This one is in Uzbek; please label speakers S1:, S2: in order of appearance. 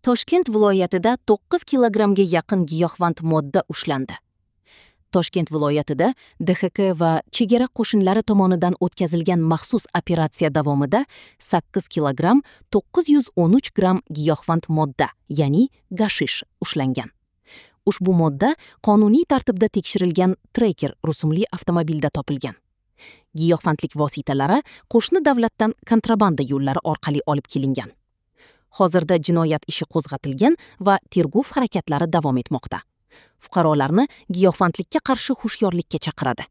S1: Toshkent viloyatida 9 kilogrammga yaqin giyohvand modda ushlandi. Toshkent viloyatida DXK va chegara qo'shinlari tomonidan o'tkazilgan maxsus operatsiya davomida 8 kilogramm 913 gramm giyohvand modda, ya'ni gashish ushlangan. Ushbu modda qonuniy tartibda tekshirilgan Tracker rusumli avtomobilda topilgan. Giyohvandlik vositalari qo'shni davlatdan kontrabanda yo'llari orqali olib kelingan. Hozirda jinoyat ishi qo'zg'atilgan va tergov harakatlari davom etmoqda. Fuqarolarni giyohvandlikka qarshi hushyorlikka chaqiradi.